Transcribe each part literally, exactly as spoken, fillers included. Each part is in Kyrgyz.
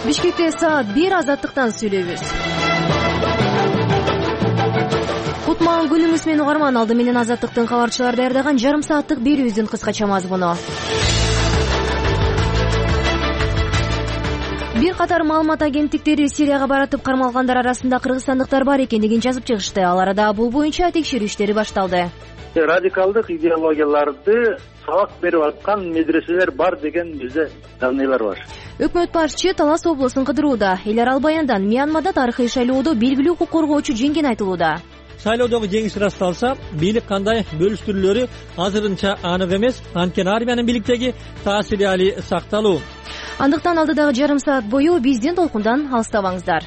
Бишкекте саат бир азаттыктан сүйлөйбүз. Кутман күнүңүз менен угарман, алды менен азаттыктын кабарчылары даярдаган жарым сааттык берүүбүздүн кыскача мазмуну. Бир катар маалымат агенттиктери Сирияга баратып кармалгандар арасында кыргызстандыктар бар экендигин жазып чыгышты. Ал арада бул боюнча текшерүү иштери башталды. Радикалдык идеологияларды сабак берип аткан медреселер бар деген бизде данныйлар бар. Өкмөт башчы Талас облусун кыдырууда. Эл арал баяндан Мьянмада тарыхый шайлоодо белгилүү укук коргоочу жеңген айтылууда. Шайлоодогу жеңиш ырасталса, бийлик кандай бөлүштүрүүлөрү азырынча анык эмес, анткени армиянын бийликтеги таасири али сакталуу. Андыктан алдыдагы жарым саат бою биздин толкундан алыстабаңыздар.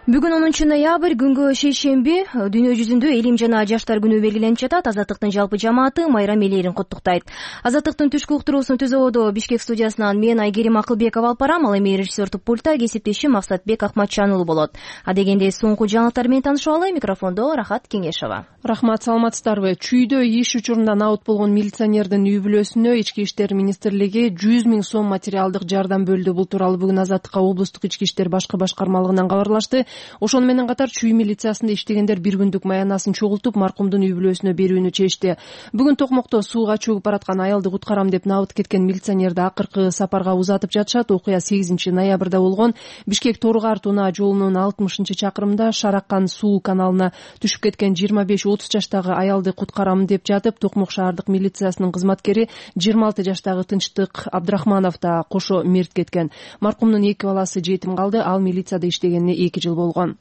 Бүгүн онунчу ноябрь күнгө шейшемби дүйнө жүзүндө элим жана жаштар күнү белгиленип жатат. Азаттыктын жалпы жамааты майрам элерин куттуктайт. Азаттыктын түшкү уктуруусун түзүүдө Бишкек студиясынан мен Айгерим Акылбекова алып барам, ал эми режиссердук пультта кесиптешим Максатбек Акматчан болот. Адегенде соңку жаңылыктар менен таанышып алалы. Микрофондо Рахат Кеңешова. Рахмат, саламатсыздарбы? Чүйдө иш учурунда набыт болгон милиционердин үй бүлөсүнө Ички иштер министрлиги жүз миң сом материалдык жардам бөлдү. Бул тууралуу бүгүн Азаттыкка облустук ички иштер башкы башкармалыгынан кабарлашты. Ошону менен катар чүй милициясында иштегендер бир күндүк маянасын чогултуп маркумдун үй бүлөсүнө берүүнү чечти. Бүгүн Токмокто сууга чөгүп бараткан аялды куткарам деп набыт кеткен милиционерди акыркы сапарга узатып жатышат. Окуя сегизинчи ноябрда болгон. Бишкек Торгар Тунаа жолунун алтымышынчы чакырымында Шараккан суу каналына түшүп кеткен жыйырма беш отуз жаштагы аялды куткарам деп жатып, Токмок шаардык милициясынын кызматкери жыйырма алты жаштагы Тынчтык Абдрахманов да кошо мерт кеткен. Маркумдун эки баласы жетим калды. Ал милицияда иштегенине эки жыл болгон.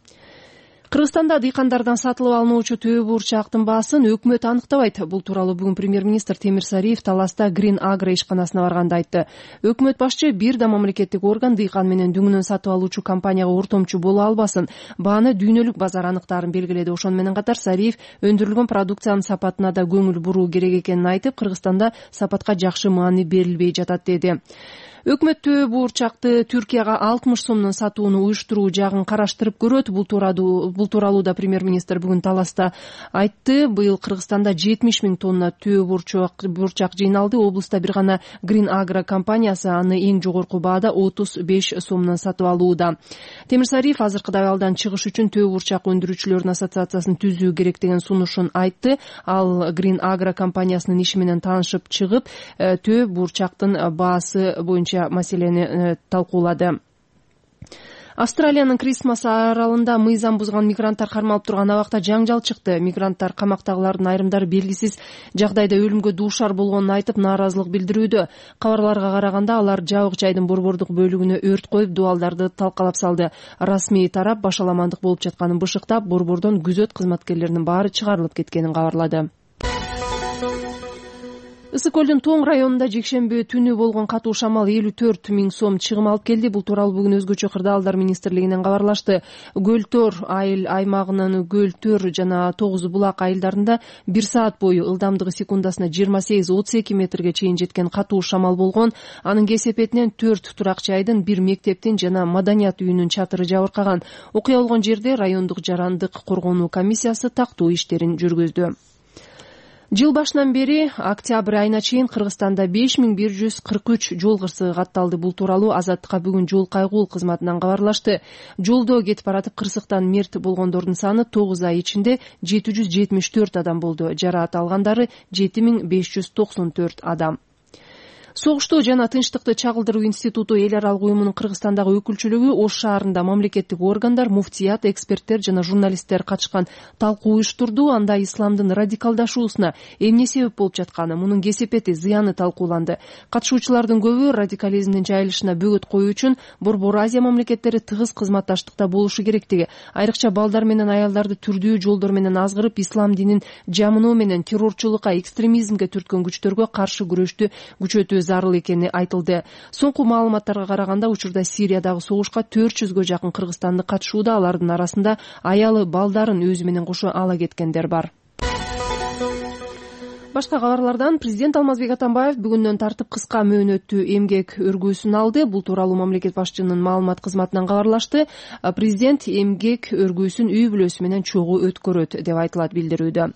Кыргызстанда дыйкандардан сатылып алынуучу төө бурчактын баасын өкмөт аныктабайт. Бул тууралуу бүгүн премьер-министр Темир Сариев Таласта Green Agro ишканасына барганда айтты. Өкмөт башчы бир да мамлекеттик орган дыйкан менен дүңүнөн сатып алуучу компанияга ортомчу боло албасын, бааны дүйнөлүк базар аныктаарын белгиледи. Ошону менен катар Сариев өндүрүлгөн продукциянын сапатына да көңүл буруу керек экенин айтып, Кыргызстанда сапатка жакшы маани берилбей жатат деди. Өкмөт төө буурчакты Түркияга алтымыш сомдон сатууну уюштуруу жагын караштырып көрөт. Бул тууралуу бул тууралуу да премьер-министр бүгүн Таласта айтты. Быйыл Кыргызстанда жетимиш миң тонна төө бурчак бурчак жыйналды. Облуста бир гана Green Agro компаниясы аны эң жогорку баада отуз беш сомдон сатып алууда. Темир Сариев азыркы абалдан чыгыш үчүн төө бурчак өндүрүүчүлөрдүн ассоциациясын түзүү керек деген сунушун айтты. Ал Green Agro компаниясынын иши менен таанышып чыгып, төө бурчактын баасы боюнча маселени талкуулады. Австралиянын Крисмас аралында мыйзам бузган мигранттар кармалып турган абакта жаңжал чыкты. Мигранттар камактагылардын айрымдары белгисиз жагдайда өлүмгө дуушар болгонун айтып нааразылык билдирүүдө. Кабарларга караганда алар жабык жайдын борбордук бөлүгүнө өрт коюп, дубалдарды талкалап салды. Расмий тарап башаламандык болуп жатканын бышыктап, борбордон күзөт кызматкерлеринин баары чыгарылып кеткенин кабарлады. Ысык көлдүн Тоң районунда жекшемби түнү болгон катуу шамал элүү төрт миң сом чыгым алып келди. Бул тууралуу бүгүн өзгөчө кырдаалдар министрлигинен кабарлашты. Гөлтөр айыл аймагынын Гөлтөр жана Тогуз булак айылдарында бир саат бою ылдамдыгы секундасына жыйырма сегиз отуз эки метрге чейин жеткен катуу шамал болгон. Анын кесепетинен төрт турак жайдын, бир мектептин жана маданият үйүнүн чатыры жабыркаган. Окуя болгон жерде райондук жарандык коргонуу комиссиясы тактуу иштерин жүргүздү. Жыл башынан бери октябрь айына чейин Кыргызстанда беш миң бир жүз кырк үч жол кырсыгы катталды. Бул тууралуу Азаттыкка бүгүн жол кайгуу кызматынан кабарлашты. Жолдо кетип баратып кырсыктан мерт болгондордун саны тогуз ай ичинде жети жүз жетимиш төрт адам болду. Жараат алгандары жети миң беш жүз токсон төрт адам. Согуштуу жана тынчтыкты чагылдыруу институту эл аралык уюмунун Кыргызстандагы өкүлчүлүгү Ош шаарында мамлекеттик органдар, муфтият, эксперттер жана журналисттер катышкан талкуу уюштурду. Анда исламдын радикалдашуусуна эмне себеп болуп жатканы, мунун кесепети, зыяны талкууланды. Катышуучулардын көбү радикализмдин жайылышына бөгөт коюу үчүн Борбор Азия мамлекеттери тыгыз кызматташтыкта болушу керектиги, айрыкча балдар менен аялдарды түрдүү жолдор менен азгырып, ислам динин жамыноо менен террорчулукка, экстремизмге түрткөн күчтөргө каршы күрөштү күчөтүү зарыл экени айтылды. Соңку маалыматтарга караганда учурда Сириядагы согушка төрт жүзгө жакын кыргызстандык катышууда. Алардын арасында аялы, балдарын өзү менен кошо ала кеткендер бар. Башка кабарлардан президент Алмазбек Атамбаев бүгүндөн тартып кыска мөөнөттүү эмгек өргүүсүн алды. Бул тууралуу мамлекет башчынын маалымат кызматынан кабарлашты. Президент эмгек өргүүсүн үй бүлөсү менен чогуу өткөрөт деп айтылат билдирүүдө.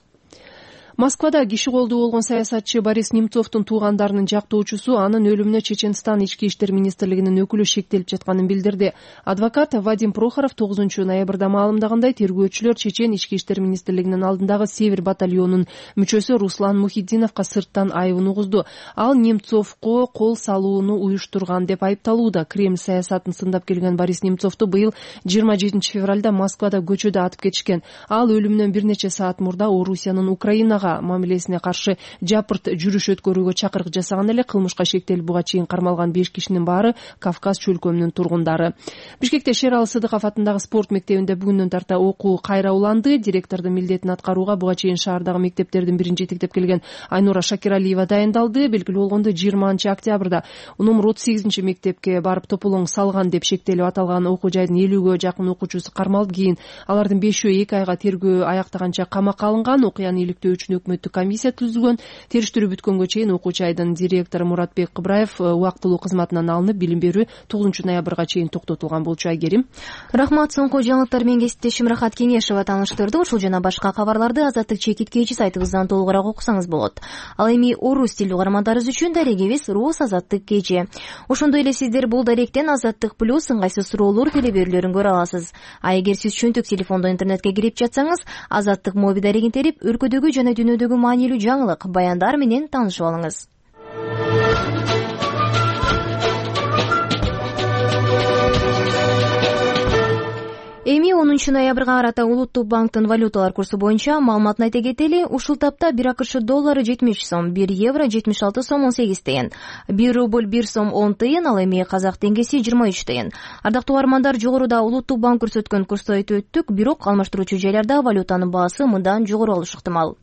Москвада киши колдуу болгон саясатчы Борис Немцовдун туугандарынын жактоочусу анын өлүмүнө Чеченстан ички иштер министрлигинин өкүлү шектелип жатканын билдирди. Адвокат Вадим Прохоров тогузунчу ноябрда маалымдагандай, тергөөчүлөр Чечен ички иштер министрлигинин алдындагы Север батальонунун мүчөсү Руслан Мухиддиновго сырттан айыбын угузду. Ал Немцовго кол салууну уюштурган деп айыпталууда. Кремль саясатын сындап келген Борис Немцовду быйыл жыйырма жетинчи февралда Москвада көчөдө атып кетишкен. Ал өлүмүнөн бир нече саат мурда Орусиянын Украинага мамилесине каршы жапырт жүрүш өткөрүүгө чакырык жасаган эле. Кылмышка шектелип буга чейин кармалган беш кишинин баары Кавказ чөлкөмүнүн тургундары. Бишкекте Шералы Сыдыков атындагы спорт мектебинде бүгүндөн тарта окуу кайра уланды. Директордун милдетин аткарууга буга чейин шаардагы мектептердин бирин жетектеп келген Айнура Шакиралиева дайындалды. Белгилүү болгондой, жыйырманчы октябрда номер отуз сегизинчи мектепке барып тополоң салган деп шектелип аталган окуу жайдын элүүгө жакын окуучусу кармалып, кийин алардын бешөө эки айга тергөө аяктаганча камакка алынган. Окуяны иликтөө үчүн өкмөттүк комиссия түзүлгөн. Териштирүү бүткөнгө чейин окуу жайдын директору Муратбек Кыбраев убактылуу кызматынан алынып, билим берүү тогузунчу ноябрга чейин токтотулган болчу. Айгерим. Рахмат. Соңку жаңылыктар менен кесиптешим Рахат Кеңешова тааныштырды. Ушул жана башка кабарларды Азаттык чекиткечи сайтыбыздан толугураак окусаңыз болот. Ал эми орус тилдүү угармандарыбыз үчүн дарегибиз Рус Азаттык кечи. Ошондой эле сиздер бул даректен Азаттык плюс ыңгайсыз суроолор телеберүүлөрүн көрө аласыз. А эгер сиз чөнтүк телефондон интернетке кирип жатсаңыз, Азаттык моби дарегин терип, өлкөдөгү жана дүйнөдөгү маанилүү жаңылык, баяндар менен таанышып алыңыз. Эми онунчу ноябрга карата Улуттук банктын валюталар курсу боюнча маалыматын айта кетели. Ушул тапта бир АКШ доллары жетимиш сом, бир евро жетимиш алты сом он сегиз тыйын, бир рубль бир сом он тыйын, ал эми казак теңгеси жыйырма үч тыйын. Ардактуу угармандар, жогоруда Улуттук банк көрсөткөн курсту айтып өттүк, бирок алмаштыруучу жайларда валютанын баасы мындан жогору болушу ыктымал.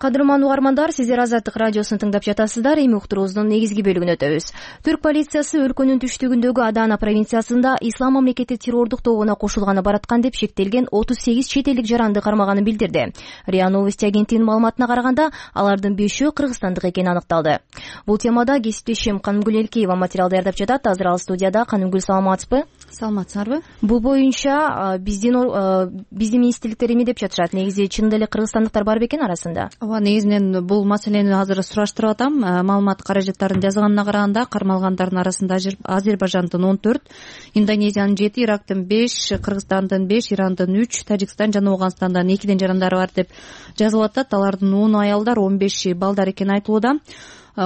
Кадырман угармандар, сиздер Азаттык радиосун тыңдап жатасыздар. Эми уктуруубуздун негизги бөлүгүнө өтөбүз. Түрк полициясы өлкөнүн түштүгүндөгү Адана провинциясында ислам мамлекети террордук тобуна кошулганы бараткан деп шектелген отуз сегиз чет элдик жаранды кармаганын билдирди. РИА Новости агенттигинин маалыматына караганда, алардын бешөө кыргызстандык экени аныкталды. Бул темада кесиптешим Канымгүл Элкеева материал даярдап жатат. Азыр ал студияда. Канымгүл, саламатсызбы? Саламатсыздарбы? Бул боюнча биздин биздин министрликтер эме деп жатышат. Негизи чынында эле кыргызстандыктар бар бекен арасында? Ооба, негизинен бул маселени азыр сураштырып атам. Маалымат каражаттарын жазганына караганда, кармалгандардын арасында Азербайжандын он төрт, Индонезиянын жети, Ирактын беш, Кыргызстандын беш, Ирандын үч, Тажикстан жана Ооганстандан экиден жарандары бар деп жазылып атат. Алардын ону аялдар, он беши балдар экени айтылууда.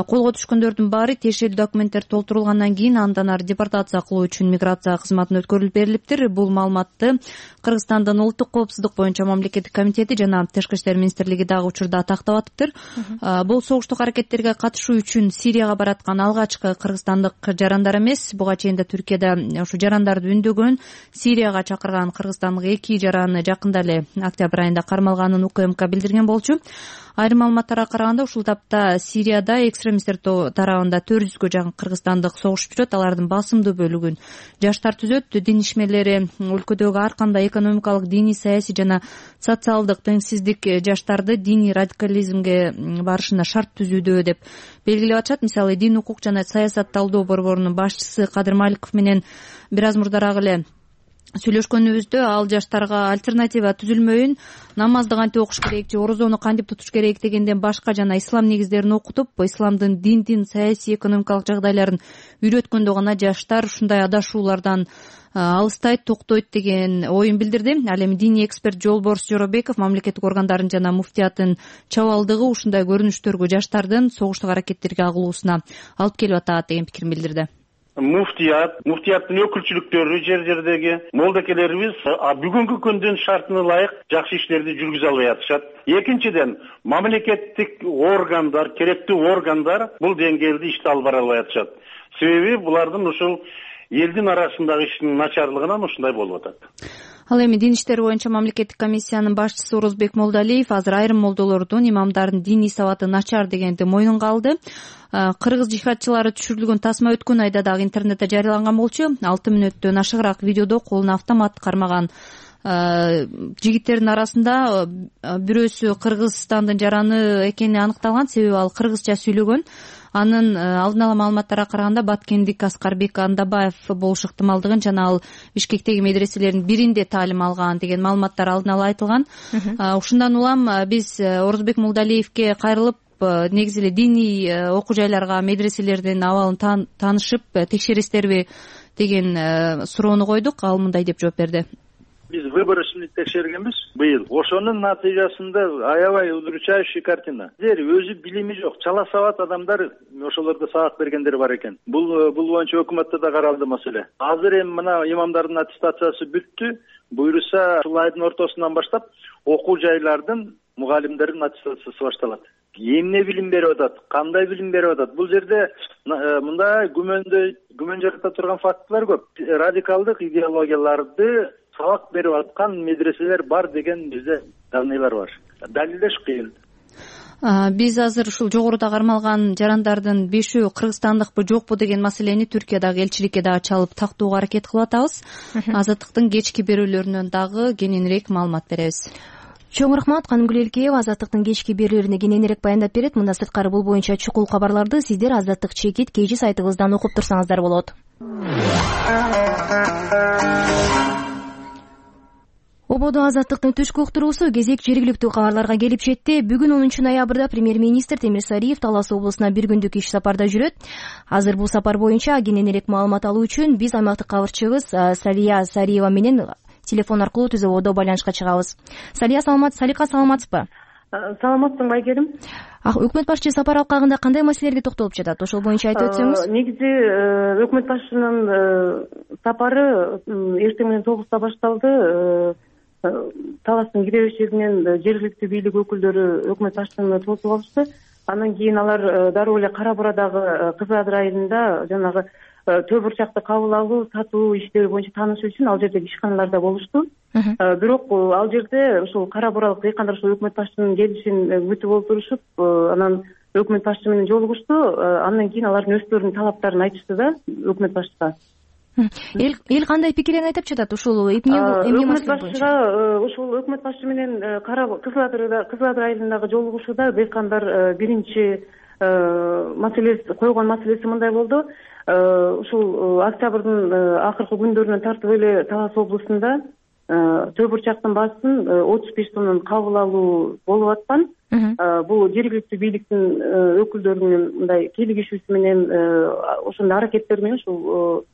Колго түшкөндөрдүн баары тиешелүү документтер толтурулгандан кийин андан ары депортация кылуу үчүн миграция кызматына өткөрүлүп берилиптир. Бул маалыматты Кыргызстандын улуттук коопсуздук боюнча мамлекеттик комитети жана Тышкы иштер министрлиги дагы учурда тактап атыптыр. Бул согуштук аракеттерге катышуу үчүн Сирияга бараткан алгачкы кыргызстандык жарандар эмес. Буга чейин да Түркияда ушу жарандарды үндөгөн, Сирияга чакырган кыргызстандык эки жараны жакында эле октябрь айында кармалганын УКМК билдирген болчу. Айрым маалыматтарга караганда, ушул тапта Сирияда экстремисттер тарабында төрт жүзгө жакын кыргызстандык согушуп жүрөт. Алардын басымдуу бөлүгүн жаштар түзөт. Дин ишмерлери өлкөдөгү ар кандай экономикалык, диний, саясий жана социалдык теңсиздик жаштарды диний радикализмге барышына шарт түзүүдө деп белгилеп атышат. Мисалы, Дин, укук жана саясат талдоо борборунун башчысы Кадыр Маликов менен бир аз мурдараак эле сүйлөшкөнүбүздө, ал жаштарга альтернатива түзүлмөйүн, намазды кантип окуш керек же орозону кантип тутуш керек дегенден башка жана ислам негиздерин окутуп, исламдын диндин, саясий, экономикалык жагдайларын үйрөткөндө гана жаштар ушундай адашуулардан алыстайт, токтойт деген оюн билдирди. Ал эми диний эксперт Жолборс Жоробеков мамлекеттик органдардын жана муфтияттын чабалдыгы ушундай көрүнүштөргө жаштардын согуштук аракеттерге агылуусуна алып келип атат деген пикирин билдирди. Муфтият, муфтияттын өкүлчүлүктөрү жер жердеги молдокелерибиз бүгүнкү күндүн шартына ылайык жакшы иштерди жүргүзө албай атышат. Экинчиден, мамлекеттик органдар, керектүү органдар бул деңгээлде ишти алып бара албай атышат. Себеби булардын ушул элдин арасындагы иштин начарлыгынан ушундай болуп атат. Ал эми дин иштери боюнча мамлекеттик комиссиянын башчысы Орозбек Молдалиев азыр айрым молдолордун, имамдардын диний сабаты начар дегенди мойнунга алды. Кыргыз жихадчылары түшүрүлгөн тасма өткөн айда дагы интернетте жарыяланган болчу. алты мүнөттөн ашыгыраак видеодо колуна автомат кармаган жигиттердин арасында бирөөсү Кыргызстандын жараны экени аныкталган, себеби ал кыргызча сүйлөгөн. анын алдын ала маалыматтарга караганда баткендик Аскарбек Андабаев болушу ыктымалдыгын жана ал Бишкектеги медреселердин биринде таалим алган деген маалыматтар алдын ала айтылган. Ушундан улам биз Орозбек Молдалиевге кайрылып негизи эле диний окуу жайларга, медреселердин абалын таанышып текшересиздерби деген суроону койдук. Ал мындай деп жооп берди. Биз выборочный текшергенбиз быйыл. Ошонун натыйжасында аябай удручающий картина. Силер өзү билими жок, чала сабат адамдар ошолордо сабак бергендер бар экен. Бул бул боюнча өкмөттө да каралды маселе. Азыр эми мына имамдардын аттестациясы бүттү. Буюрса ушул айдын ортосунан баштап окуу жайлардын мугалимдердин аттестациясы башталат. Эмне билим берип атат, кандай билим берип атат? Бул жерде мындай күмөндө күмөн жарата турган фактылар көп. Радикалдык идеологияларды сабак берип аткан медреселер бар деген бизде данныйлар бар. Далилдеш кыйын. Биз азыр ушул жогоруда кармалган жарандардын бешөө кыргызстандыкпы жокпу деген маселени Түркиядагы элчиликке дагы чалып тактууга аракет кылып атабыз. Азаттыктын кечки берүүлөрүнөн дагы кененирээк маалымат беребиз. Чоң рахмат. Канымгүл Элкеева Азаттыктын кечки берүүлөрүнө кененирээк баяндап берет. Мында сырткары бул боюнча чукул кабарларды сиздер Азаттык чекит кежи сайтыбыздан окуп турсаңыздар болот. Ободо Азаттыктын түшкү уктуруусу кезек жергиликтүү кабарларга келип жетти. Бүгүн онунчу ноябрда премьер-министр Темир Сариев Талас облусуна бир күндүк иш сапарда жүрөт. Азыр бул сапар боюнча кененирээк маалымат алуу үчүн биз аймактык кабарчыбыз Салия Сариева менен телефон аркылуу түз ободо байланышка чыгабыз. Салия саламат, Салика саламатсызбы? Саламатсың Байгерим. Өкмөт башчы сапар алкагында кандай маселелерге токтолуп жатат? Ошол боюнча айтып өтсөңүз. Негизи өкмөт башчынын сапары эртең менен тогузда башталды. Таластын кире беришигинен жергиликтүү бийлик өкүлдөрү өкмөт башчыны тосуп алышты. Андан кийин алар дароо эле Кара Бурадагы Кызыл Адыр айылында жанагы төө бурчакты кабыл алуу, сатуу иштери боюнча таанышуу үчүн ал жердеги ишканаларда болушту. Бирок ал жерде ушул Кара Буралык дыйкандар ушул өкмөт башчынын келишин күтүп олтурушуп, анан өкмөт башчы менен жолугушту. Андан кийин алардын өздөрүнүн талаптарын айтышты да өкмөт башчыга. Эл эл кандай пикирин айтып жатат ушул эмне өкмөт башчыга? Ушул өкмөт башчы менен Кызыл Адырда Кызыл Адыр айылындагы жолугушууда дыйкандар биринчи маселеси койгон маселеси мындай болду. Ушул октябрдын акыркы күндөрүнөн тартып эле Талас облусунда төө бурчактын баасын отуз беш тоннун кабыл алуу болуп аткан. Бул жергиликтүү бийликтин өкүлдөрүнүн мындай кийлигишүүсү менен ошондой аракеттер менен ушул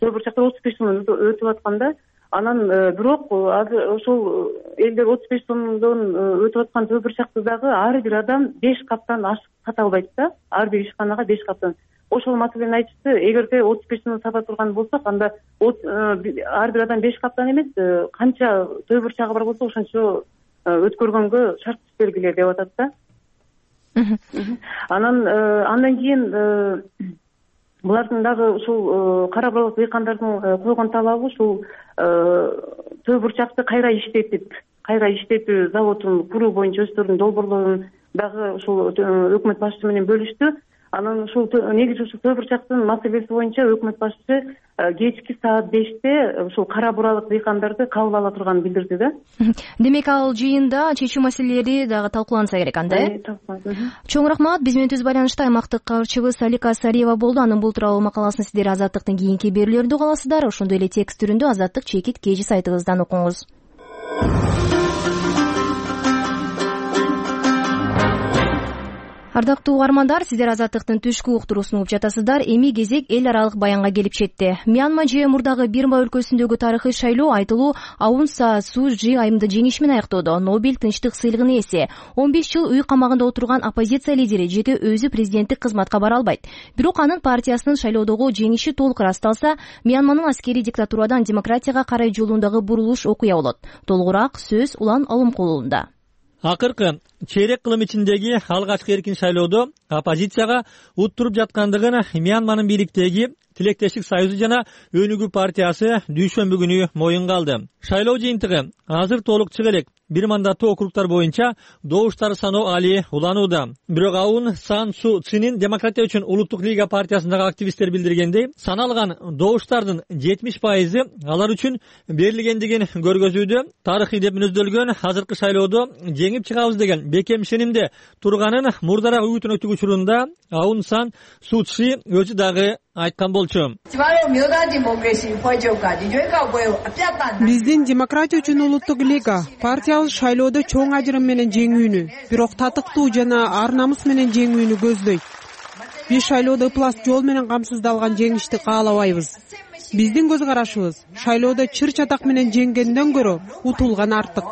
төө бурчактар отуз беш тоннон өтүп атканда, анан бирок азыр ошол элдер отуз беш тоннодон өтүп аткан төө бурчакты дагы ар бир адам беш каптан ашык сата албайт да. Ар бир ишканага беш каптан. Ошол маселени айтышты. Эгерде отуз беш тонн сата турган болсок, анда ар бир адам беш каптан эмес, канча төө бурчагы бар болсо ошончо өткөргөнгө шарт бергиле деп атат да. Анан андан кийин булардын дагы ушул Кара Буралык дыйкандардын койгон талабы ушул төө бурчакты кайра иштетип, кайра иштетүү заводун куруу боюнча өздөрүнүн долбоорлорун дагы ушул өкмөт башчы менен бөлүштү. Анан ушул негизи ушул төө бурчактын маселеси боюнча өкмөт башчы кечки саат беште ушул Кара Буралык дыйкандарды кабыл ала турганын билдирди да. Демек ал жыйында чечүү маселелери дагы талкууланса керек анда, э? Чоң рахмат. Биз менен түз байланышта аймактык кабарчыбыз Салика Сариева болду. Анын бул тууралуу макаласын сиздер Азаттыктын кийинки берүүлөрүндө уга аласыздар. Ошондой эле текст түрүндө Азаттык чекит кежи сайтыбыздан окуңуз. Ардактуу угармандар, сиздер Азаттыктын түшкү уктуруусун угуп жатасыздар. Эми кезек эл аралык баянга келип жетти. Мьянма же мурдагы Бирма өлкөсүндөгү тарыхый шайлоо айтылуу Аун Сан Суу Чжи айымды жеңиши менен аяктоодо. Нобель тынчтык сыйлыгынын ээси он беш жыл үй камагында отурган оппозиция лидери жети өзү президенттик кызматка бара албайт. Бирок анын партиясынын шайлоодогу жеңиши толук ырасталса, Мьянманын аскерий диктатурадан демократияга карай жолундагы бурулуш окуя болот. Толугураак сөз Улан Алымкулунда. Акыркы чейрек кылым ичиндеги алгачкы эркин шайлоодо оппозицияга уттуруп жаткандыгын Мьянманын бийликтеги Тилектештик союзу жана Өнүгүү партиясы дүйшөмбү күнү моюнга алды. Шайлоо жыйынтыгы азыр толук чыга элек. бир мандаттуу округтар боюнча добуштар саноо али уланууда. Бирок Аун Сан Су Чинин Демократия үчүн улуттук лига партиясындагы активисттер билдиргендей, саналган добуштардын жетимиш пайызы алар үчүн берилгендигин көргөзүүдө. Тарыхый деп мүнөздөлгөн азыркы шайлоодо жеңип чыгабыз деген бекем ишенимде турганын мурдараак үгүтүн өтүк учурунда Аун Сан Су Чи өзү дагы айткан болчу. Биздин Демократия үчүн улуттук лига партиябыз шайлоодо чоң ажырым менен жеңүүнү, бирок татыктуу жана ар намус менен жеңүүнү көздөйт. Биз шайлоодо ыплас жол менен камсыздалган жеңишти каалабайбыз. Биздин көз карашыбыз шайлоодо чыр чатак менен жеңгенден көрө утулган артык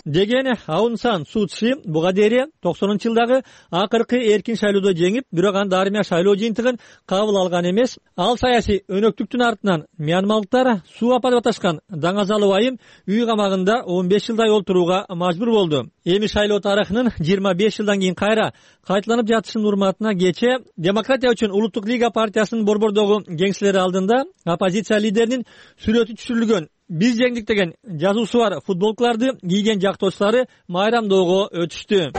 деген Аун Сан Су Чи буга дейин токсонунчу жылдагы акыркы эркин шайлоодо жеңип, бирок анда армия шайлоо жыйынтыгын кабыл алган эмес. Ал саясий өнөктүктүн артынан мьянмалыктар суу апа деп аташкан даңазалы байым үй камагында он беш жылдай олтурууга мажбур болду. Эми шайлоо тарыхынын жыйырма беш жылдан кийин кайра кайталанып жатышынын урматына кечээ Демократия үчүн улуттук лига партиясынын борбордогу кеңселери алдында оппозиция лидеринин сүрөтү түшүрүлгөн «Биз жеңдик» деген жазуусу бар футболкаларды кийген жактоочулары майрамдоого өтүштү.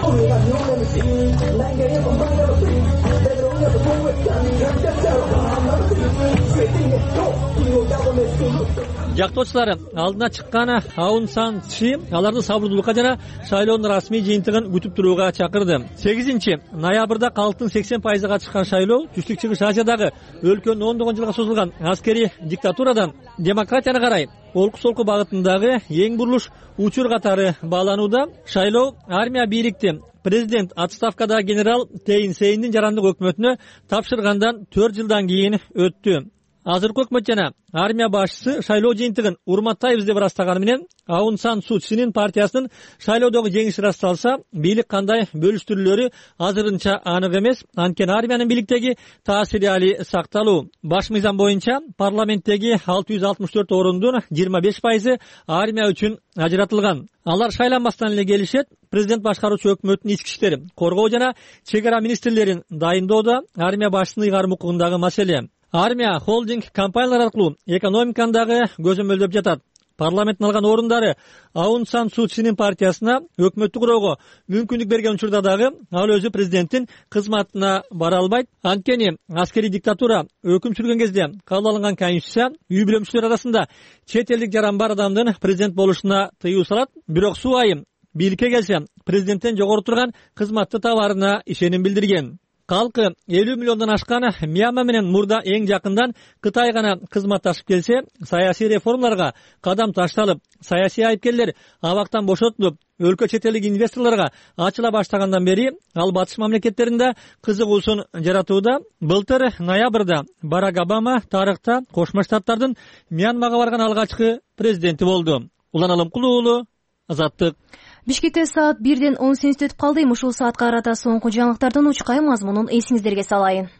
Жактоочулар алдына чыккан Аун Сан Чи аларды сабырдуулукка жана шайлоонун расмий жыйынтыгын күтүп турууга чакырды. сегизинчи ноябрда калктын сексен пайызы катышкан шайлоо Түштүк Чыгыш Азиядагы өлкөнүн ондогон жылга созулган аскерий диктатурадан демократияга карай олку-солку багытындагы эң бурулуш учур катары бааланууда. Шайлоо армия бийликти президент отставкадагы генерал Тейин Сейндин жарандык өкмөтүнө тапшыргандан төрт жылдан кийин өттү. Азыркы өкмөт жана армия башчысы шайлоо жыйынтыгын урматтайбыз деп ырастаганы менен Аун Сан Су Чинин партиясынын шайлоодогу жеңиши ырасталса, бийлик кандай бөлүштүрүлөрү азырынча анык эмес. Анткени армиянын бийликтеги таасири али сакталуу. Баш мыйзам боюнча парламенттеги алты жүз алтымыш төрт орундун жыйырма беш пайызы армия үчүн ажыратылган. Алар шайланбастан эле келишет. Президент башкаруучу өкмөттүн ички иштер, коргоо жана чек ара министрлерин дайындоодо армия башчысынын ыйгарым укугундагы маселе. Армия холдинг компаниялар аркылуу экономиканы дагы көзөмөлдөп жатат. Парламенттин алган орундары Аун Сан Су Чинин партиясына өкмөттү куроого мүмкүндүк берген учурда дагы ал өзү президенттин кызматына бара албайт. Анткени аскерий диктатура өкүм сүргөн кезде кабыл алынган конституция үй бүлө мүчөлөрү арасында чет элдик жаран бар адамдын президент болушуна тыюу салат. Бирок Су айым бийликке келсе президенттен жогору турган кызматты табаарына ишеним билдирген. Калкы элүү миллиондон ашкан Мьянма менен мурда эң жакындан Кытай гана кызматташып келсе, саясий реформаларга кадам ташталып, саясий айыпкерлер абактан бошотулуп, өлкө чет элдик инвесторлорго ачыла баштагандан бери ал батыш мамлекеттеринде кызыгуусун жаратууда. Былтыр ноябрда Барак Обама тарыхта Кошмо Штаттардын Мьянмага барган алгачкы президенти болду. Улан Алымкулуу уулу, Азаттык. Бишкекте саат бирден он сегиз өтүп калды. Ушул саатка карата соңку жаңылыктардын учкай мазмунун эсиңиздерге салайын.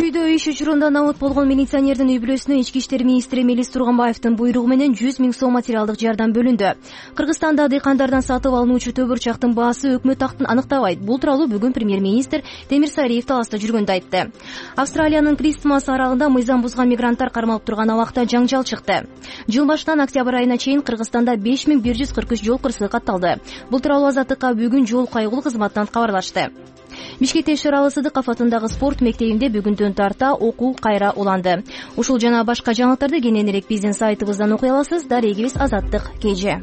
Чүйдө иш учурунда намыт болгон милиционердин үй бүлөсүнө ички иштер министри Мелис Турганбаевдин буйругу менен жүз миң сом материалдык жардам бөлүндү. Кыргызстанда дыйкандардан сатып алынуучу төбүрчактын баасы өкмөт актын аныктабайт. Бул тууралуу бүгүн премьер-министр Демирсариев таласта жүргөндө айтты. Австралиянын Кристмас аралында мыйзам бузган мигранттар кармалып турган абакта жаңжал чыкты. Жыл башынан октябрь айына чейин Кыргызстанда беш миң бир жүз кырк үч жол кырсыгы катталды. Бул тууралуу Азаттыкка бүгүн жол кайгылуу кызматтан кабарлашты. Бишкекте Шералы Сыдыков атындагы спорт мектебинде бүгүндөн тарта окуу кайра уланды. Ушул жана башка жаңылыктарды кененирээк биздин сайтыбыздан окуй аласыз. Дарегибиз Азаттык кеже.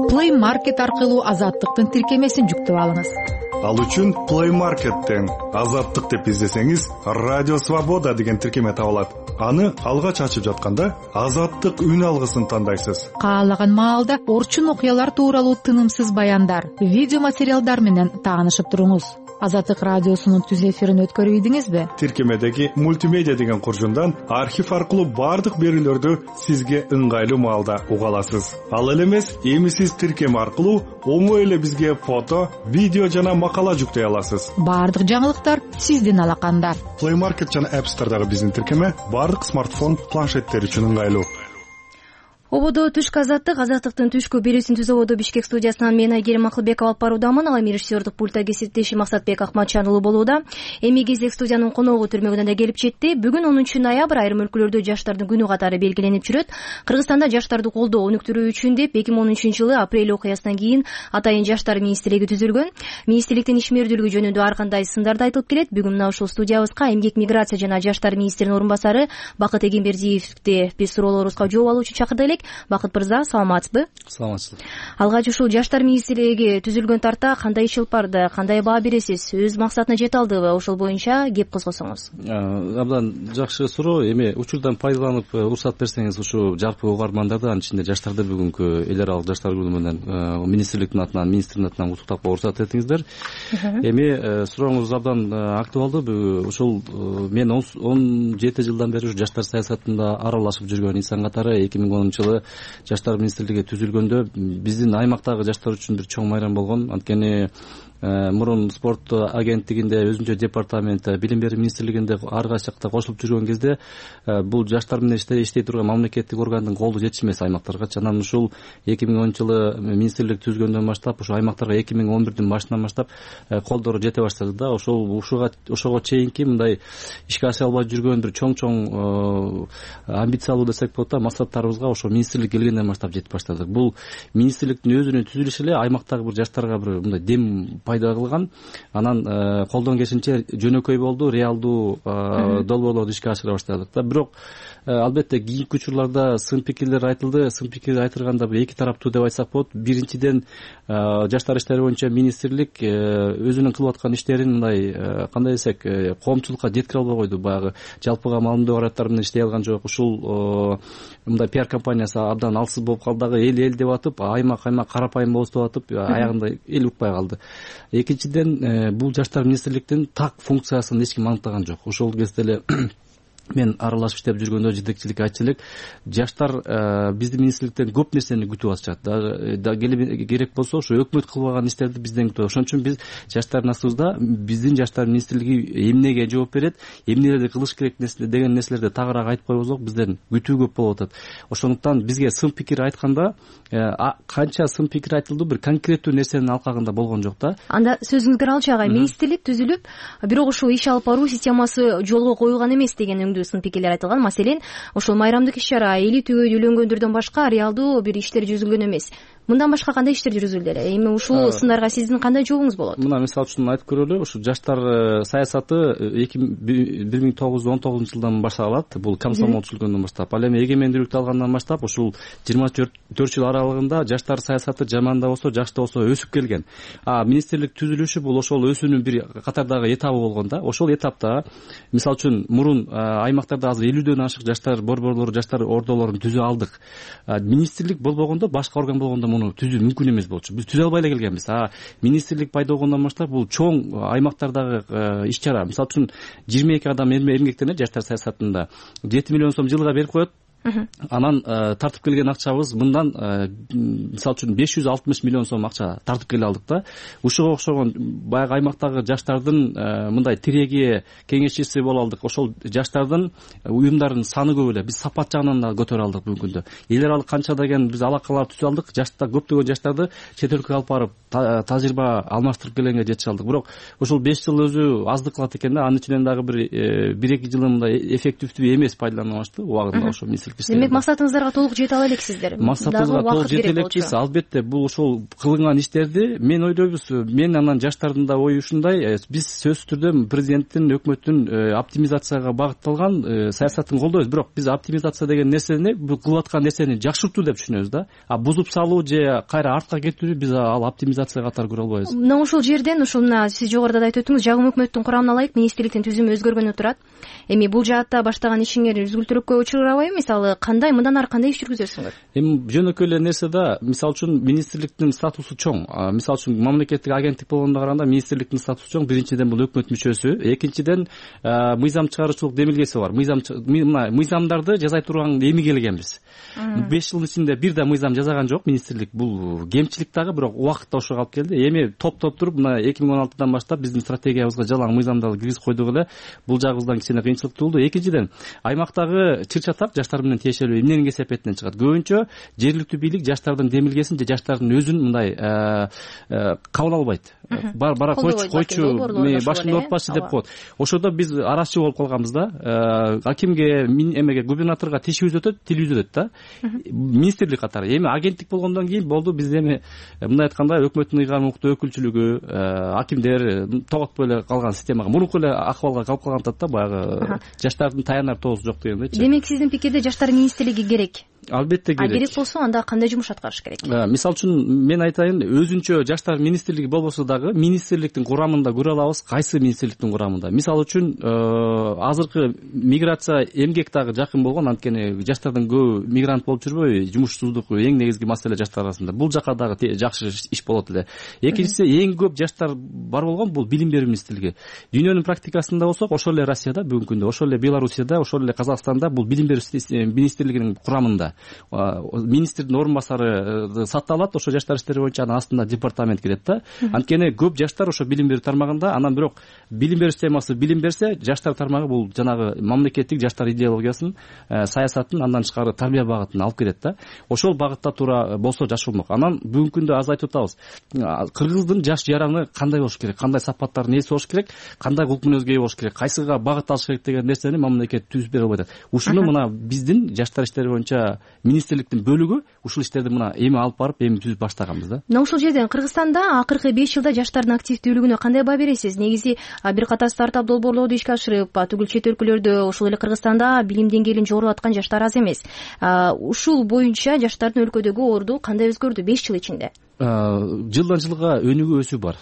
Play Market аркылуу Азаттыктын тиркемесин жүктөп алыңыз. Ал үчүн Play Market'тен Азаттык деп издесеңиз, Радио Свобода деген тиркеме табылат. Аны алгач ачып жатканда Азаттык үн алгысын тандайсыз. Каалаган маалда орчун окуялар тууралуу тынымсыз баяндар, видео материалдар менен таанышып туруңуз. Азаттык радиосунун түз эфирин өткөрүп ийдиңизби? Тиркемедеги мультимедиа деген куржундан архив аркылуу бардык берүүлөрдү сизге ыңгайлуу маалда уга аласыз. Ал эле эмес, эми сиз тиркеме аркылуу оңой эле бизге фото, видео жана макала жүктөй аласыз. Бардык жаңылыктар сиздин алаканда. Play Market жана App Store'дагы биздин тиркеме бардык смартфон, планшеттер үчүн ыңгайлуу. ободо түшкү азаттык азаттыктын түшкү берүүсүн түз ободо Бишкек студиясынан мен Айгерим Акылбекова алып баруудамын. Ал эми режиссердук пультта кесиптешим Максатбек Акматжан уулу болууда. Эми кезек студиянын коногу түрмөгүнөн да келип жетти. Бүгүн онунчу ноябрь айрым өлкөлөрдө жаштардын күнү катары белгиленип жүрөт. Кыргызстанда жаштарды колдоо өнүктүрүү үчүн деп эки миң он үчүнчү жылы апрель окуясынан кийин Атайын жаштар министрлиги түзүлгөн. Министрликтин ишмердүүлүгү жөнүндө ар кандай сындарды айтылып келет. Бүгүн мына ушул студиябызга эмгек, миграция жана жаштар министринин орун басары Бакыт Эгембердиевди биз суроолорубузга жооп алуу үчүн чакырдык элек. Бакыт мырза, саламатсызбы? Саламатсызбы. Алгач ушул жаштар министрлиги түзүлгөн тарта кандай иш алып барды, кандай баа бересиз, өз максатына жете алдыбы? Ошол боюнча кеп козгосоңуз. Абдан жакшы суроо. Эми учурдан пайдаланып уруксат берсеңиз, ушу жалпы угармандарды, анын ичинде жаштарды бүгүнкү эл аралык жаштар күнү менен министрликтин атынан, министрдин атынан куттуктап уруксат этиңиздер. Эми сурооңуз абдан актуалдуу. Ушул мен он жети жылдан бери ушу жаштар саясатында аралашып жүргөн инсан катары эки миң онунчу жылы жаштар министрлиги түзүлгөндө биздин аймактагы жаштар үчүн бир чоң майрам болгон. Анткени мурун спорт агенттигинде, өзүнчө департамент, билим берүү министрлигинде ар кайсы жакта кошулуп жүргөн кезде бул жаштар менен иштей турган мамлекеттик органдын колу жетишмес аймактарга. Анан ушул эки миң онунчу жылы министрлик түзгөндөн баштап ушу аймактарга эки миң он бирдин башынан баштап колдору жете баштады да. Ошол ушуга ошого чейинки мындай ишке аша албай жүргөн бир чоң-чоң амбициялуу десек болот да максаттарыбызга ошо министрлик келгенден баштап жетип баштадык. Бул министрликтин өзүнүн түзүлүшү эле аймактагы бир жаштарга бир мындай дем пайда кылган. Анан колдон келишинче жөнөкөй болду, реалдуу долбоорлорду ишке ашыра баштадык да. Бирок албетте кийинки учурларда сын пикирлер айтылды. Сын пикир айтылганда бир эки тараптуу деп айтсак болот. Биринчиден, жаштар иштери боюнча министрлик өзүнүн кылып аткан иштерин мындай кандай десек, коомчулукка жеткире албай койду. Баягы жалпыга маалымдоо каражаттары менен иштей алган жок. Ушул мындай пиар компаниясы абдан алсыз болуп калды. Дагы эл эл деп атып, аймак аймак карапайым болобуз деп атып, аягында эл укпай калды. Экинчиден, бул жаштар министрликтин так функциясын эч ким аныктаган жок. Ошол кезде эле мен аралашып иштеп жүргөндө жетекчилик айтчу элек, жаштар биздин министрликтен көп нерсени күтүп атышат. Дагы керек болсо ошо өкмөт кылбаган иштерди бизден күтүп. Ошон үчүн биз жаштардын астыбызда биздин жаштар министрлиги эмнеге жооп берет, эмнелерди кылыш керек деген нерселерди тагыраак айтып койбосок, бизден күтүү көп болуп атат. Ошондуктан бизге сын пикир айтканда канча сын пикир айтылды, бир конкреттүү нерсенин алкагында болгон жок да. Анда сөзүңүзгө алчу агай, министрлик түзүлүп, бирок ушул иш алып баруу системасы жолго коюлган эмес деген сын пикирлер айтылган. Маселен, ошол майрамдык иш-чара, эли түгөй үйлөнгөндөрдөн башка реалдуу бир иштер жүзүлгөн эмес. Мындан башка кандай иштер жүргүзүлдү эле? Эми ушул сындарга сиздин кандай жообуңуз болот? Мына мисалы үчүн айтып көрөлү. Ушу жаштар саясаты бир миң тогуз жүз он тогузунчу жылдан башталат. Бул комсомол түзүлгөндөн баштап. Ал эми эгемендүүлүктү алгандан баштап ушул жыйырма төрт жыл аралыгында жаштар саясаты жаман да болсо, жакшы да болсо өсүп келген. А министрлик түзүлүшү бул ошол өсүүнүн бир катардагы этабы болгон да. Ошол этапта мисалы үчүн мурун аймактарда азыр элүүдөн ашык жаштар борборлору, жаштар ордолорун түзө алдык. Министрлик болбогондо, башка орган болгондо муну түзүү мүмкүн эмес болчу. Биз түзө албай эле келгенбиз. А министрлик пайда болгондон баштап бул чоң аймактардагы иш-чара. Мисалы үчүн жыйырма эки адам эмгектенет жаштар саясатында. жети миллион сом жылга берип коет. Анан тартып келген акчабыз мындан мисалы үчүн беш жүз алтымыш миллион сом акча тартып келе алдык да. Ушуга окшогон баягы аймактагы жаштардын мындай тиреги, кеңешчиси боло алдык. Ошол жаштардын уюмдардын саны көп эле. Биз сапат жагынан да көтөрө алдык бүгүнкү күндө. Эл аралык канча деген биз алакалар түзө алдык. Жаштар көптөгөн жаштарды чет өлкөгө алып барып тажрыйба алмаштырып келгенге жетише алдык. Бирок ушул беш жыл өзү аздык кылат экен да. Анын ичинен дагы бир бир эки жылы мындай эффективдүү эмес пайдаланылышты убагында ошо министрлик. Демек максатыңыздарга толук жете ала элексиздер. Максатыбызга толук жете элекпиз. Албетте бул ошол кылынган иштерди мен ойлойбуз. Мен анан жаштардын да ою ушундай. Биз сөзсүз түрдө президенттин, өкмөттүн оптимизацияга багытталган саясатын колдойбуз. Бирок биз оптимизация деген нерсени, бул кылып аткан нерсени жакшыртуу деп түшүнөбүз да. А бузуп салуу же кайра артка кетүүнү биз ал оптимизация катары көрө албайбыз. Мына ушул жерден ушул мына сиз жогоруда да айтып өттүңүз, жагым өкмөттүн курамына ылайык министрликтин түзүмү өзгөргөнү турат. Эми бул жаатта баштаган ишиңер үзгүлтүрөккө учурабайбы? Мисалы, кандай мындан ары кандай иш жүргүзөсүңөр? Эми жөнөкөй эле нерсе да. Мисалы үчүн министрликтин статусу чоң. Мисалы үчүн мамлекеттик агенттик болгондо караганда министрликтин статусу чоң. Биринчиден бул өкмөт мүчөсү, экинчиден мыйзам чыгаруучулук демилгеси бар. Мыйзам мыйзамдарды жаза турган эми келгенбиз. беш жылдын ичинде бир да мыйзам жазаган жок министрлик. Бул кемчилик дагы, бирок убакытта ошого алып келди. Эми топтоп туруп мына эки миң он алтыдан баштап биздин стратегиябызга жалаң мыйзамдарды киргизип койдук эле. Бул жагыбыздан кичине кыйынчылык туулду. Экинчиден аймактагы чыр чатак жаштар менен менен тиешелүү эмненин кесепетинен чыгат? Көбүнчө жергиликтүү бийлик жаштардын демилгесин же жаштардын өзүн мындай кабыл албайт. Бара койчу койчу башымды оорутпачы деп коет. Ошодо биз арачы болуп калганбыз да. Акимге, эмеге, губернаторго тишибиз өтөт, тилибиз өтөт да. Министрлик катары. Эми агенттик болгондон кийин болду, биз эми мындай айтканда өкмөттүн ыйгарым укуктуу өкүлчүлүгү, акимдер тоготпой эле калган системага, мурунку эле акыбалга калып калган атат да, баягы жаштардын таянар тоосу жок дегендейчи. Демек сиздин пикирде жаштар министрлиги керек? Албетте керек. А керек болсо анда кандай жумуш аткарыш керек? Мисалы үчүн мен айтайын, өзүнчө жаштар министрлиги болбосо дагы министрликтин курамында көрө алабыз, кайсы министрликтин курамында. Мисалы үчүн азыркы миграция, эмгек дагы жакын болгон, анткени жаштардан көбү мигрант болуп жүрбөйбү, жумушсуздук эң негизги маселе жаштар арасында. Бул жака дагы жакшы иш болот эле. Экинчиси, эң көп жаштар бар болгон бул билим берүү министрлиги. Дүйнөнүн практикасында болсок, ошол эле Россияда бүгүнкү күндө, ошол эле Белоруссияда, ошол эле Казакстанда бул билим берүү министрлигинин курамында министрдин орун басары сатталат, ошо жаштар иштери боюнча анын астында департамент кирет да. Анткени көп жаштар ошо билим берүү тармагында, анан бирок билим берүү системасы билим берсе, жаштар тармагы бул жанагы мамлекеттик жаштар идеологиясын, саясатын, андан тышкары тарбия багытын алып келет да. Ошол багытта туура болсо жакшы болмок. Анан бүгүнкү күндө аз айтып атабыз. Кыргыздын жаш жараны кандай болуш керек, кандай сапаттардын ээси болуш керек, кандай кулк мүнөзгө ээ болуш керек, кайсыга багыт алыш керек деген нерсени мамлекет түзүп бере албайт. Ушуну мына биздин жаштар иштери боюнча министрликтин бөлүгү ушул иштерди мына эми алып барып, эми түзүп баштаганбыз да. Мына ушул жерден Кыргызстанда акыркы беш жылда жаштардын активдүүлүгүнө кандай баа бересиз? Негизи бир катар стартап долбоорлорду ишке ашырып, түгүл чет өлкөлөрдө, ошол эле Кыргызстанда билим деңгээлин жогорулаткан жаштар аз эмес. Ушул боюнча жаштардын өлкөдөгү орду кандай өзгөрдү беш жыл ичинде? Жылдан жылга өнүгүү өсүү бар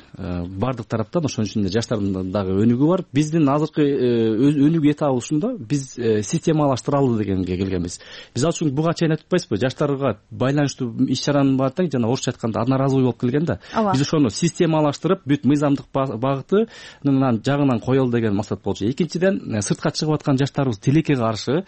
бардык тараптан, ошонун ичинде жаштардын дагы өнүгүү бар. Биздин азыркы өнүгүү этабы ушунда, биз системалаштыралы дегенге келгенбиз. Мисалы үчүн буга чейин айтып атпайсызбы, жаштарга байланыштуу иш чаранын баары тең жана орусча айтканда одноразовый болуп келген да. Биз ошону системалаштырып, бүт мыйзамдык багытынын жагынан коелу деген максат болчу. Экинчиден, сыртка чыгып аткан жаштарыбыз тилекке каршы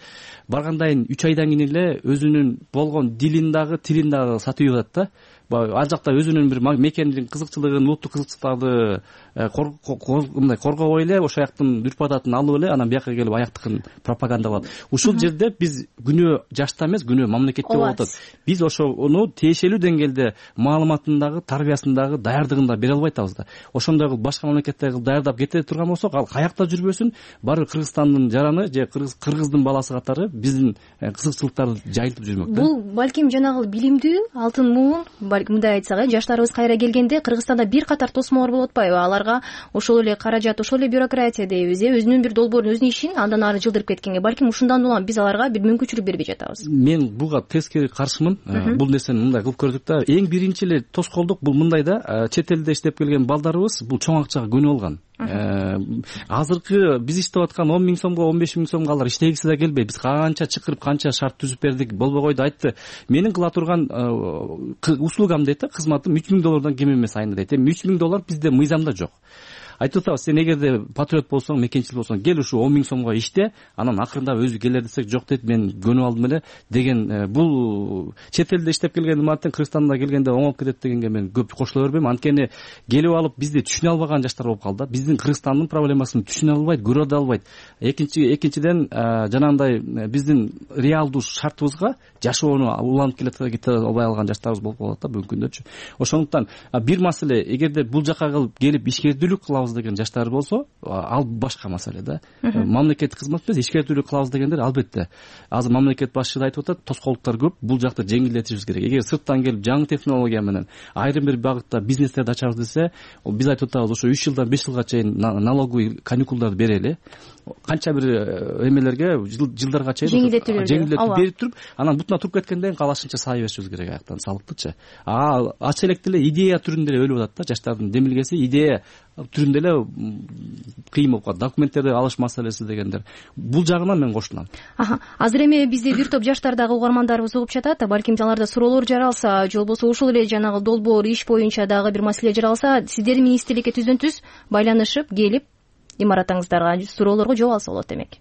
баргандайын үч айдан кийин эле өзүнүн болгон дилин дагы, тилин дагы сатып атат да. Ал жакта өзүнүн бир мекендин кызыкчылыгын, улуттук кызыкчылыктарды мындай коргобой эле, ошол жактын үрп адатын алып эле, анан бияка келип аяктыкын пропагандалап. Ушул жерде биз күнөө жашта эмес, күнөө мамлекетте болуп атат. Биз ошону тиешелүү деңгээлде маалыматындагы, тарбиясындагы, даярдыгында бере албай атабыз да. Ошондой кылып башка мамлекеттерге даярдап кете турган болсок, ал каякта жүрбөсүн, баары Кыргызстандын жараны же кыргыздын баласы катары биздин кызыкчылыктарды жайылтып жүрмөк да. Бул балким жанагы билимдүү алтын муун, мындай айтсак, жаштарыбыз кайра келгенде Кыргызстанда бир катар тосмолор болуп атпайбы? Аларга ошол эле каражат, ошол эле бюрократия дейбиз, э, өзүнүн бир долбоорун, өзүнүн ишин андан ары жылдырып кеткенге, балким ушундан улам биз аларга бир мүмкүнчүлүк бербей жатабыз. Мен буга тескери каршымын. Бул нерсени мындай кылып көрдүк да. Эң биринчи эле тоскоолдук бул мындай да, чет элде иштеп келген балдарыбыз бул чоң акчага көнүп алган. Азыркы биз иштеп аткан он миң сомго, он беш миң сомго алар иштегиси да келбейт. Биз канча чакырып, канча шарт түзүп бердик, болбой койду, айтты. Менин кыла турган услугам дейт да, кызматым үч миң доллардан кем эмес айында дейт. Эми үч миң доллар бизде мыйзамда жок. Айтып атабыз, сен эгерде патриот болсоң, мекенчил болсоң, кел ушу он миң сомго иште, анан акырында өзү келер десек, жок дейт, мен көнүп алдым эле деген. Бул чет элде иштеп келген мартен Кыргызстанда келгенде оңолуп кетет дегенге мен көп кошула бербейм. Анткени келип алып бизди түшүнө албаган жаштар болуп калды. Биздин Кыргызстандын проблемасын түшүнө албайт, көрө да албайт. Экинчи экинчиден жанагындай биздин реалдуу шартыбызга жашоону уланып кете албай алган жаштарыбыз болуп калат да бүгүнкү күндөчү. Ошондуктан бир маселе, эгерде бул жака келип ишкердүүлүк кылабыз деген жаштар болсо, ал башка маселе да. Мамлекеттик кызмат эмес, ишкердүүлүк кылабыз дегендер албетте. Азыр мамлекет башчысы да айтып атат, тоскоолдуктар көп, бул жакты жеңилдетишибиз керек. Эгер сырттан келип жаңы технология менен айрым бир багытта бизнестерди ачабыз десе, биз айтып атабыз, ошо үч жылдан беш жылга чейин налоговый каникулдарды берели. Канча бир эмелерге, жылдарга чейин жеңилдетип берип туруп, анан бутуна туруп кеткенден кийин калашынча сай беришибиз керек аяктан салыктычы. А ача электе эле идея түрүндө эле өлүп атат да, жаштардын демилгеси идея түрүндө эле кыйын болуп калат. Документтерди алыш маселеси дегендер. Бул жагынан мен кошулам. Азыр эми бизде бир топ жаштар дагы угармандарыбыз угуп жатат. Балким аларда суроолор жаралса, же болбосо ушул эле жанагы долбоор иш боюнча дагы бир маселе жаралса, сиздер министрликке түздөн түз байланышып келип имаратыңыздарга, суроолорго жооп алса болот демек.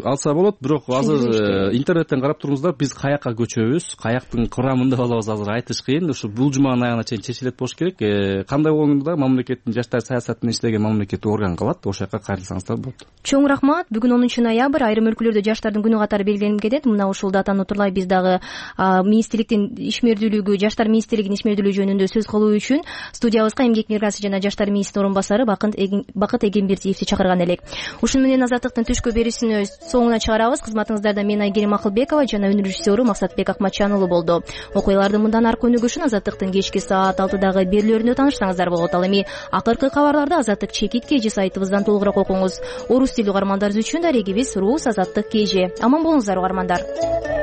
Алса болот, бирок азыр интернеттен карап турумуздар, биз каякка көчөбүз, каяктын курамында болобуз азыр айтыш кыйын. Ушу бул жуманын аягына чейин чечилет болуш керек. Кандай болгондо мамлекеттин жаштар саясатында иштеген мамлекеттик орган калат, ошол жака кайрылсаңыздар болот. Чоң рахмат. Бүгүн онунчу ноябрь, айрым өлкөлөрдө жаштардын күнү катары белгиленип кетет. Мына ушул датаны утурлай биз дагы министрликтин ишмердүүлүгү, жаштар министрлигинин ишмердүүлүгү жөнүндө сөз кылуу үчүн студиябызга эмгек миграция жана жаштар министринин орун басары Бакыт Эгембердиевди чакырган элек. Ушуну менен Азаттыктын түшкү берүүсүнө соңуна чыгарабыз. Кызматыңыздарда мен Айгерим Акылбекова жана өнөр режиссеру Максатбек Акматжан уулу болду. Окуялардын мындан аркы өнүгүшүн Азаттыктын кечки саат алтыдагы берүүлөрүндө таанышсаңыздар болот. Ал эми акыркы кабарларды Азаттык чекит кж сайтыбыздан толугураак окуңуз. Орус тилдүү угармандарыбыз үчүн дарегибиз Рус Азаттык кж. Аман болуңуздар угармандар.